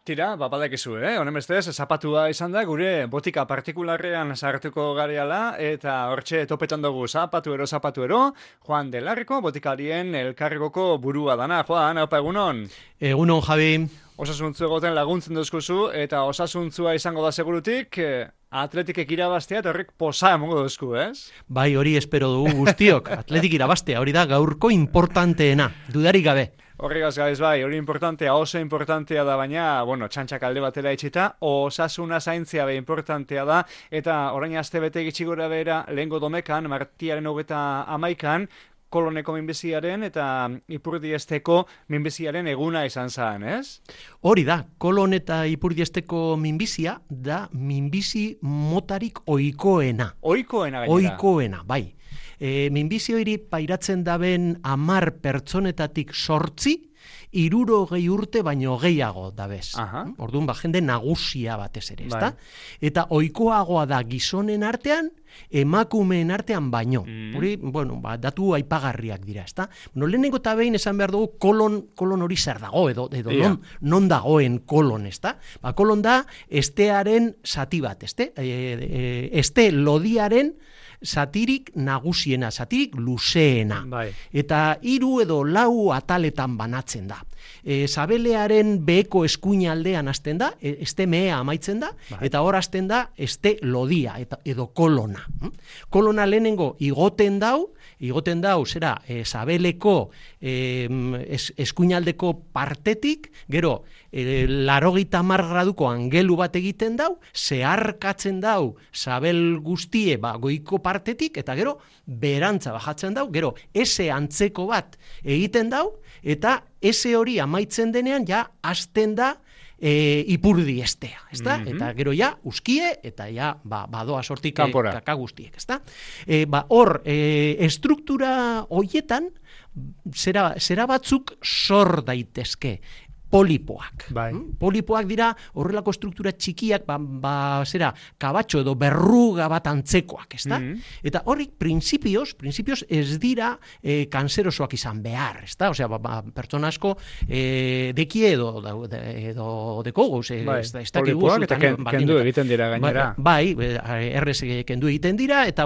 Tira, badakizu, honen bestez, zapatua izan da, gure botika partikularrean sartuko gareala, eta hortxe topetan dugu zapatu ero, Juan de Larriko, botikarien elkarrigoko burua dana. Juan, haupa egunon? Egunon, Javi. Osasuntzu egoten laguntzen duzkuzu, eta osasuntzua izango da segurutik, atletikek irabaztea, eta horrek posa emongo duzku, ez? Bai, hori espero dugu guztiok, atletik irabaztea, hori da gaurko importanteena, dudarik gabe. Horregaz gabez bai, hori importantea, oso importantea da, baina, txantxak alde batera itxita, osasuna zaintzia be importantea da, eta orain aste bete gitxigora bera, lehengo domekan, martiaren 31an, Koloneko minbiziaren eta Ipurdiesteko minbiziaren eguna izan zen, ez? Hori da, Kolon eta Ipurdiesteko minbizia da minbizi motarik ohikoena. Ohikoena gainera. Ohikoena, bai. Minbizio hiri pairatzen daben 10 pertsonetatik 8, 60 urte baino gehiago dabez. Orduan, jende nagusia batez ere, ezta? Eta ohikoagoa da gizonen artean, emakumeen artean baino. Hori, datu aipagarriak dira, ezta? Lehenengo eta behin esan behar dugu kolon hori zer dago, edo non dagoen kolon, ezta? Kolon da estearen zati bat, este lodiaren zatirik nagusiena, zatirik luzeena. Eta 3 edo 4 ataletan banatzen da. Sabelearen beheko eskuinaldean hasten da, este mea amaitzen da, eta hor hasten da este lodia edo kolona. Kolona lehenengo igoten dau, zera, sabeleko eskuinaldeko partetik, gero, 80 graduko angelu bat egiten dau, zeharkatzen dau sabel guztie goiko partetik, eta gero, berantza bajatzen dau, gero, ese antzeko bat egiten dau, eta ese hori amaitzen denean, ja, hasten da Ipurdiestea, ezta? Eta gero ja, uskie, eta ja, badoa sortik kaka guztiek, ezta? Hor, estruktura hoietan, zera batzuk sor daitezke, polipoak. Polipoak dira horrelako struktura txikiak, kabatxo edo berruga bat antzekoak, ezta? Eta horrik, prinsipioz ez dira kanserosoak izan behar, ezta? Osea, pertsona asko dekie edo deko gauz, ez dakik guz. Polipoak eta kendu egiten dira gainera. Bai, errez kendu egiten dira, eta,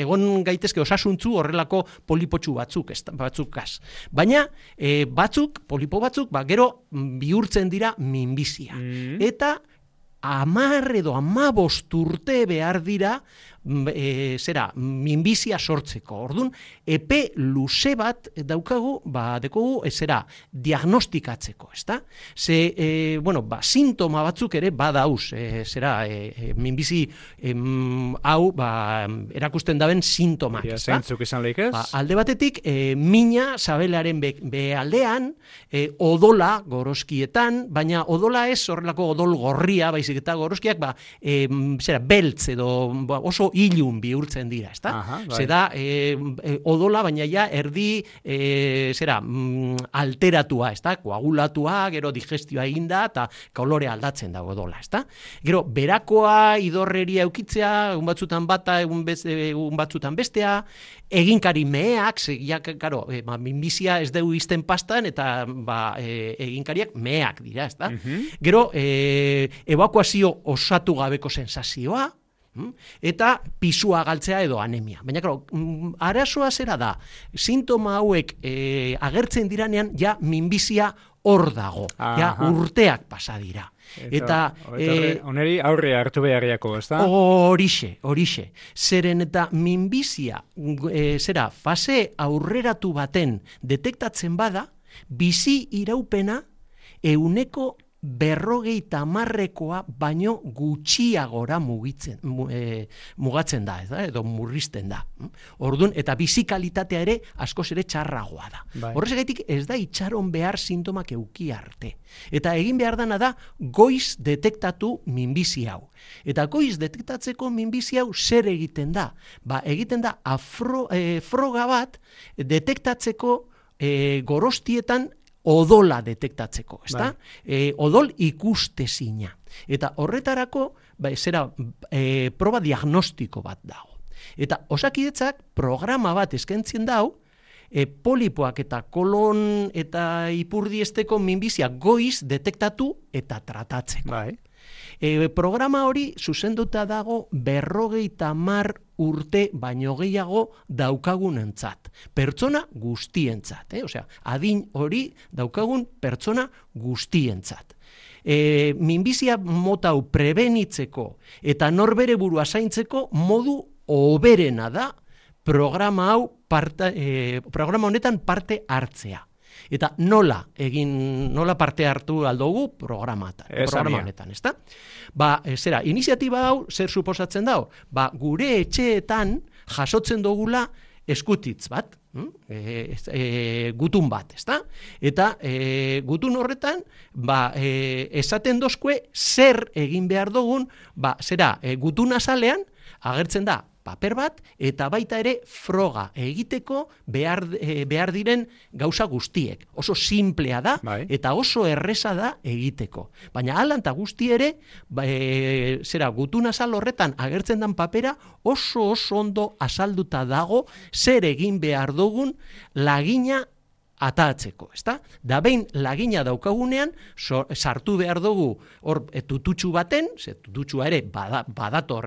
egon gaitezke osasuntzu horrelako polipotxu batzukaz. Baina, polipo batzuk, gero bihurtzen dira minbizia. Eta 10 edo 15 urte behar dira minbizia sortzeko. Orduan, epe luze bat daukagu, dekogu, diagnostikatzeko, ezta? Sintoma batzuk ere badauz, minbizi hau, erakusten daben sintomak, ezta? Zeintzuk izan lehik ez? Alde batetik, mina sabelearen behaldean, odola goroskietan, baina odola ez horrelako odol gorria, baizik eta goroskiak, beltz edo oso ilun bihurtzen dira, ezta? Zeda, odola, baina ja erdi alteratua, ezta? Koagulatua, gero digestioa eginda, eta kolorea aldatzen dago odola, ezta? Gero, berakoa, idorreria eukitzea, egun batzutan bata, egun batzutan bestea, eginkari meheak, minbizia ez dugu izten pastan, eta eginkariak meheak dira, ezta? Gero, ebakuazio osatu gabeko sensazioa, eta pisua galtzea edo anemia. Baina, arazoa zera da, sintoma hauek agertzen diranean, ja minbizia hor dago, ja urteak pasa dira. Eta oneri aurre hartu beharriako, ezta? Horixe. Zeren eta minbizia, fase aurreratu baten detektatzen bada, bizi iraupena 50%koa baino gutxiagora mugatzen da, edo murrizten da. Orduan, eta bizikalitatea ere askoz ere txarragoa da. Horrezagaitik ez da itxaron behar sintomak euki arte. Eta egin behar dana da goiz detektatu minbizi hau. Eta goiz detektatzeko minbizi hau zer egiten da? Egiten da froga bat detektatzeko gorostietan odola detektatzeko, ezta? Odol ikustezina. Eta horretarako, proba diagnostiko bat dago. Eta Osakidetzak programa bat eskaintzen dau, polipoak eta kolon eta ipurdiesteko minbizia goiz detektatu eta tratatzeko. Bai. Programa hori zuzenduta dago 50 urte baino gehiago daukagunentzat. Pertsona guztientzat. Osea, adin hori daukagun pertsona guztientzat. Minbizia mota hau prebenitzeko eta norbere burua zaintzeko modu hoberena da programa honetan parte hartzea. Eta nola parte hartu aldugu programa honetan, ezta? Iniziatiba hau zer suposatzen dago? Gure etxeetan jasotzen dugula eskutitz bat, gutun bat, ezta? Eta gutun horretan, esaten dozkue zer egin behar dugun, gutun azalean agertzen da paper bat, eta baita ere froga egiteko behar diren gauza guztiek. Oso simplea da, eta oso erresa da egiteko. Baina alanta guzti ere, gutun azal horretan agertzen den papera, oso ondo azalduta dago zer egin behar dugun lagina atatzeko, ezta? Da behin lagina daukagunean, sartu behar dugu hor tututxu baten, tututxua ere badator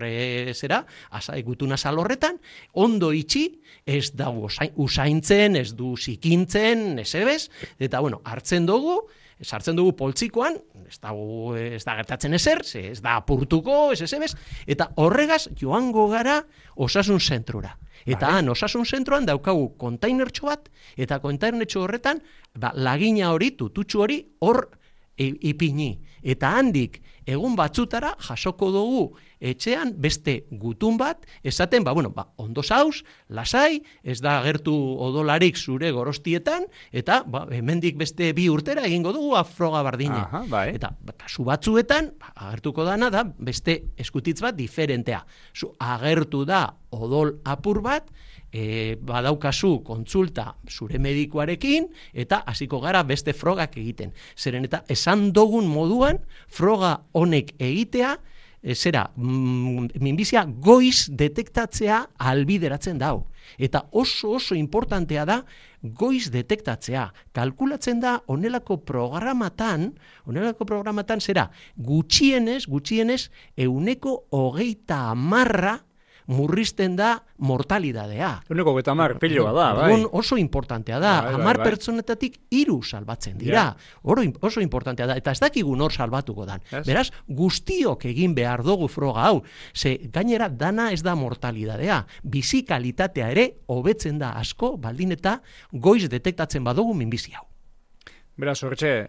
gutun azal horretan, ondo itxi, ez dago usaintzen, ez du zikintzen, eta sartzen dugu poltsikoan, ez da gertatzen ezer, ez da apurtuko, eta horregaz joango gara osasun zentrura. Eta han, osasun zentroan daukagu kontainertxo bat, eta kontainertxo horretan, lagina hori, tututxu hori, hor ipini. Eta handik, egun batzutara, jasoko dugu etxean beste gutun bat, esaten, ondo zauz, lasai, ez da gertu odolarik zure gorostietan, eta hemendik beste 2 urtera egingo dugu froga bardine. Eta kasu batzuetan, agertuko dana da, beste eskutitz bat diferentea. Agertu da odol apur bat, badaukazu kontsulta zure medikuarekin, eta hasiko gara beste frogak egiten. Zeren eta esan dugun moduan, froga honek egitea, minbizia goiz detektatzea albideratzen dau. Eta oso importantea da goiz detektatzea. Kalkulatzen da onelako programatan gutxienez 90% murrizten da mortalidadea. 90 piloa da, bai. Oso importantea da. 10 pertsonetatik 3 salbatzen dira. Oso importantea da. Eta ez dakigu nor salbatuko dan. Beraz, guztiok egin behar dugu froga hau. Gainera, dana ez da mortalidadea. Bizi kalitatea ere hobetzen da asko, baldin eta goiz detektatzen badugu minbizi hau. Beraz, horretxe,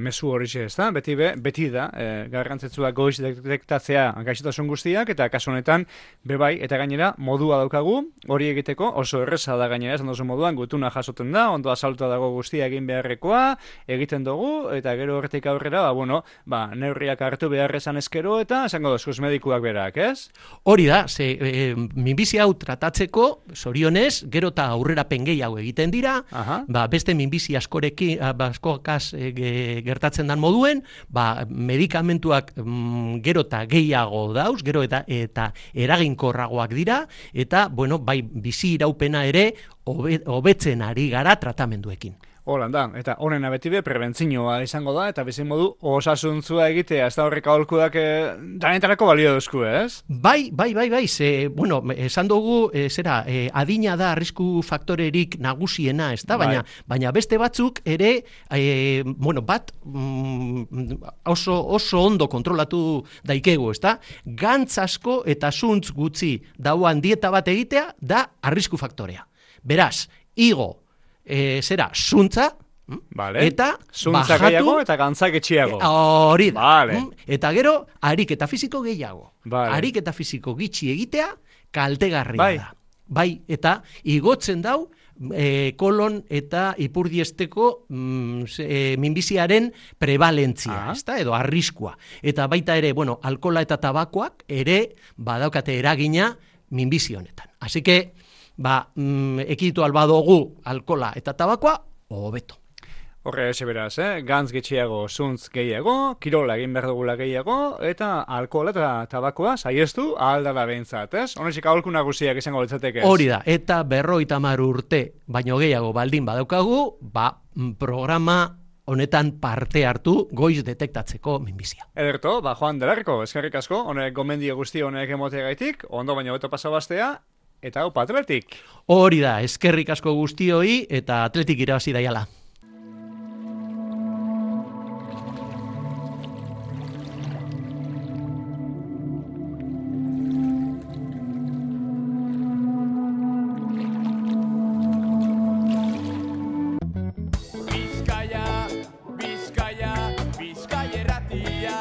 mezu horretxe ez da, beti da, garrantzetsua goiz detektatzea gaixotasun guztiak, eta kasu honetan, bebai, eta gainera, modua daukagu, hori egiteko, oso erreza da gainera, esan dozu moduan, gutuna jasoten da, ondo azaltuta dago guztia egin beharrekoa, egiten dugu, eta gero horretik aurrera, neurriak hartu beharrezan ezkero, eta esango dozkuz medikuak berak, ez? Hori da, minbizi hau tratatzeko, zorionez, gero eta aurrera gehiago egiten dira, beste minbizi askorekin, gertatzen dan moduen, medikamentuak gero eta gehiago dauz, gero eta eraginkorragoak dira, eta, bizi iraupena ere hobetzen ari gara tratamenduekin. Holanda, eta honena beti prebentzioa izango da, eta bizin modu osasuntzua egitea, ez da horrek aholkuak danetarako balio duzku, ez? Bai, esan dugu, adina da arrisku faktorerik nagusiena, ez da, baina beste batzuk ere, oso ondo kontrolatu daikegu, ez da? Gantz asko eta zuntz gutxi dauan dieta bat egitea, da arrisku faktorea. Beraz, igo, zuntza, eta zuntza gehiago eta gantzak etxiago. Hori da. Eta gero, ariketa fisiko gehiago. Ariketa fisiko gitxi egitea, kaltegarria da. Eta igotzen dau, kolon eta ipurdiesteko minbiziaren prevalentzia, edo arriskua. Eta baita ere, alkola eta tabakoak ere badaukate eragina minbizi honetan. Así que, ekiditu albadugu alkola eta tabakoa, hobeto. Horre ese beraz, gantz getxiago, zuntz gehiago, kirola egin behar dugula gehiago, eta alkohola eta tabakoa saiestu ahaldala behintzat, ez? Honezik aholku nagusiak izango litzateke ez? Hori da, eta 50 urte baino gehiago baldin badaukagu, programa honetan parte hartu goiz detektatzeko minbizia. Ederto, Joan Delarko, eskerrik asko, honek gomendio guzti honek emoteagaitik, ondo baino beto pasa bastea, eta hau Atletik. Hori da, eskerrik asko guztioi eta Atletik irabazi daiala. Bizkaia, Bizkaia, Bizkaia erratia.